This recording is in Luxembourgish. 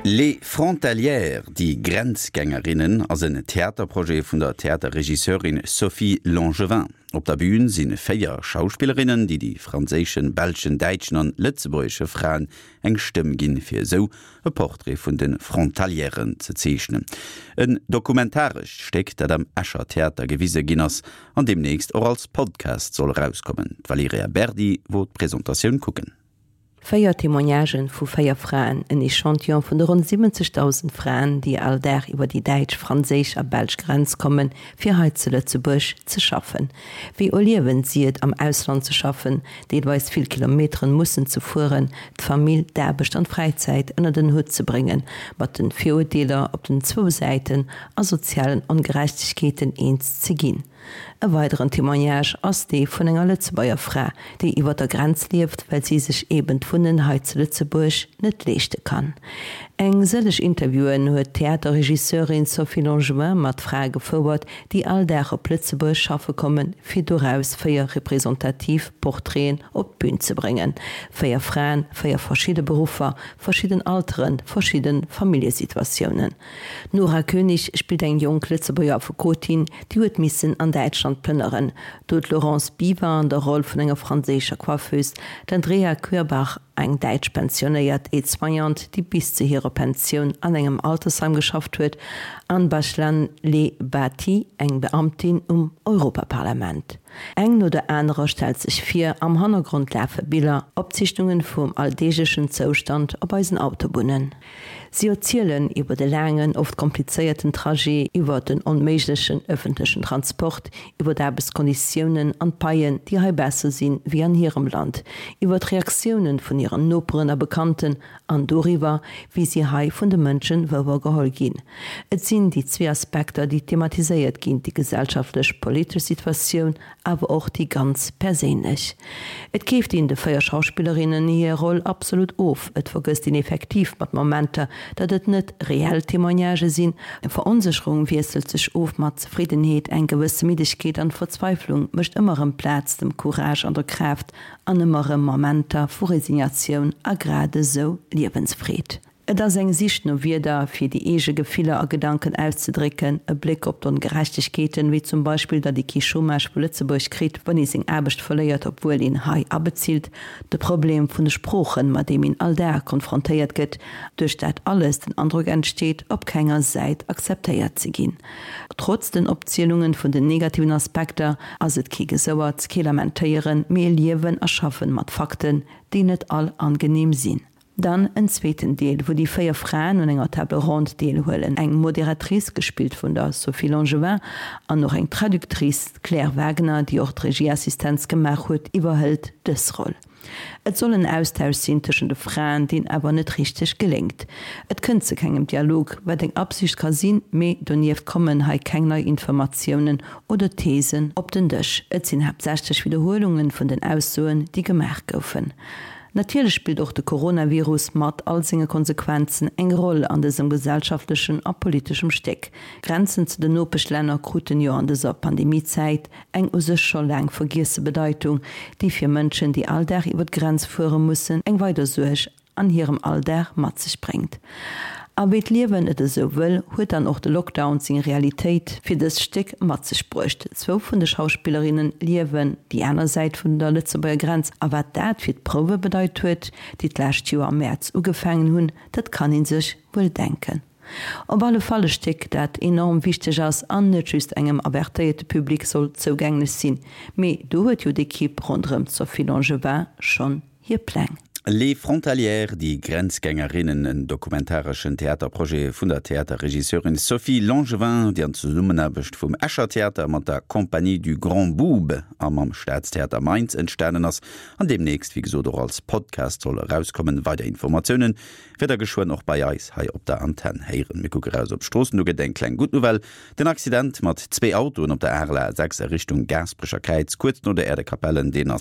Les Frontalières, déi Grenzgängerinnen, ass en Theaterprojet vun der Theaterregisseurin Sophie Langevin. Op der Bün si 4 Schauspillerinnen, déi déi franséischen, belschen, däitschen an lëtzebuergesche Fraen eng Stëmm ginn, fir esou e Portrait vun de Frontalieren ze zeechnen. En dokumentarescht Stéck, dat am Escher Theater gewise ginn ass an deemnächst och als Podcast soll erauskommen. D'Valerija Berdi wor d'Presentatioun kucken. Véier Témoignagen vu véier Fraen, en Echantillon vun de ronn 70.000 Fraen, déi all Dag iwwer déi däitsch, franséisch a belsch Grenz kommen, fir hei zu Lëtzebuerg ze schaffen. Wéi erliewen si et, am Ausland ze schaffen, deelweis vill Kilometeren mussen ze fueren, d'Famill, d'Aarbecht an d'Fräizäit ënnert en Hutt ze bréngen, mat den Virurteeler op den zwou Säiten a sozialen Ongerechtegkeeten eens ze ginn? E weideren Témoignage ass dee vun enger Lëtzebuerger Fra, déi iwwer der Grenz lieft, well si sech eben d'Wunnen hei zu Lëtzebuerg net leeschte kann. Eng sëlleg Interviewen huet d'Theaterregisseurin Sophie Langevin mat Frae gefouert, déi all Dag op Lëtzebuerg schaffe kommen, fir doraus 4 representativ Portraiten op d'Bün ze bréngen. 4 Fraen, 4 verschidde Beruffer, verschidden Alteren, verschidde Familljesituatiounen. D'Nora König spillt eng jonk Lëtzebuerger Affekotin, déi huet missen an Däitschland plënneren. Do d'Laurence Biver an der Roll vun enger franséischer Coiffeuse, d'Andrea Querbach, eng däitsch pensionéiert Aide-soignante, déi bis zu hirer Pensioun an engem Altersheim geschafft huet, an Bachlan Le Bati, eng Beamtin um Europaparlament. Eng no der anerer stellt sech vir, am Hannergrond lafe Biller, Opzeechnungen vum alldeeglechen Zoustand op eisen Autobunnen. Si erzielen iwwer de laangen, oft komplizéierten Trajet, iwwer den onméiglechen ëffentlechen Transport, iwwer d'Aarbechtskonditiounen an d'Paien, déi hei besser sinn wéi an hirem Land, iwwer d'Reaktiounen vun hiren Noperen a Bekannten an doriwwer, wéi si hei vun de Mënschen wouergeholl ginn. Et sinn déi zwee Aspekter, déi thematiséiert ginn, déi gesellschaftlech-politesch Situatioun awer och déi ganz perséinlech. Et keeft een de 4 Schauspillerinnen hir Roll absolut of, et vergësst een effektiv mat Momenter, datt et net reell Témoignagë sinn. Veronsécherung wiesselt sech of mat Zefriddenheet, eng gewësse Middegkeet an Verzweiflung mécht ëmmer erëm Plaz dem Courage an der Kraaft an ëmmer erëm Momenter vu Resignatioun a grad esou Liewensfreed. Et ass eng Sich no Wierder, fir déi eege Gefiller a Gedanken auszedrécken, e Bléck op d'Ongerechtegkeeten, wéi zum Beispill, datt ee kee Chômage vu Lëtzebuerg kritt, wann ee seng Aarbecht verléiert, obwuel een hei abezilt, de Problem vun de Sproochen, mat deem een all Dag konfrontéiert gëtt, duerch dat alles den Androck entsteet, op kenger Säit akzeptéiert ze ginn. Trotz den Opzielungen vun den negativen Aspekter ass et kee Gesouerts, kee Lamentéieren, mee e Liewen a Schaffen mat Fakten, déi net all angeneem sinn. Dann en zweeten Deel, wou déi 4 Fraen un enger Table ronde deelhuelen, eng Modératrice, gespillt vun der Sophie Langevin, an och eng Traductrice, d'Claire Wagner, déi och d'Regieassistenz gemaach huet, iwwerhëlt dës Roll. Et soll en Austausch sinn tëschent de Fraen, deen awer net richteg geléngt. Et kënnt zu kengem Dialog, wat eng Absicht ka sinn, mee donieft kommen hei keng nei Informatiounen oder Thesen op den Dësch. Et sinn haaptsächlech Widderhuelungen vun den Aussoen, déi gemaach goufen. Natierlech spillt och de Coronavirus mat all senge Konsequenzen eng Roll an dësem gesellschaftlechen a politeschem Stéck. Grenzen zu den Nopeschlänner kruten jo an dëser Pandemiezäit eng u sech scho laang vergiesse Bedeitung, déi fir Mënschen, déi all Dag iwwer d'Grenz fuere mussen, eng weider Suerg an hirem Alldag mat sech bréngt. A wéi d'Liewen et esou wëll, huet dann och de Lockdown seng Realitéit fir dëst Stéck mat sech bruecht. Zwou vun de Schauspillerinne liewen déi aner Säit vun der Lëtzebuerger Grenz a wat dat fir d'Prouwe bedeit huet, déi d'lescht Joer am Mäerz ugefaangen hunn, dat kann ee sech wuel denken. Op alle Fall e Stéck, dat enorm wichteg ass an net just engem avertéierte Public soll zougänglech sinn. Mee do huet jo d'Ekipp ronderëm d'Sophie Langevin schonn hir Pläng. Les Frontalières, déi Grenzgängerinnen, en dokumentareschen Theaterprojet vun der Theaterregisseurin Sophie Langevin, déi an Zesummenaarbecht vum Escher Theater mat der Compagnie du Grand Boube a mam Staatstheater Mainz entstanen ass an deemnächst, wéi gesot, och als Podcast soll erauskommen. Weider Informatiounen wäert der geschwënn och bei eis hei op der Antenn héieren. Mir kucke raus op d'Stroossen, do gëtt eng kleng gutt Nouvelle, Den Accident mat zwee Autoen op der Arel A 6 a Richtung Gaasperecher Kräiz, kuerz no der Äerdekapellen, deen ass.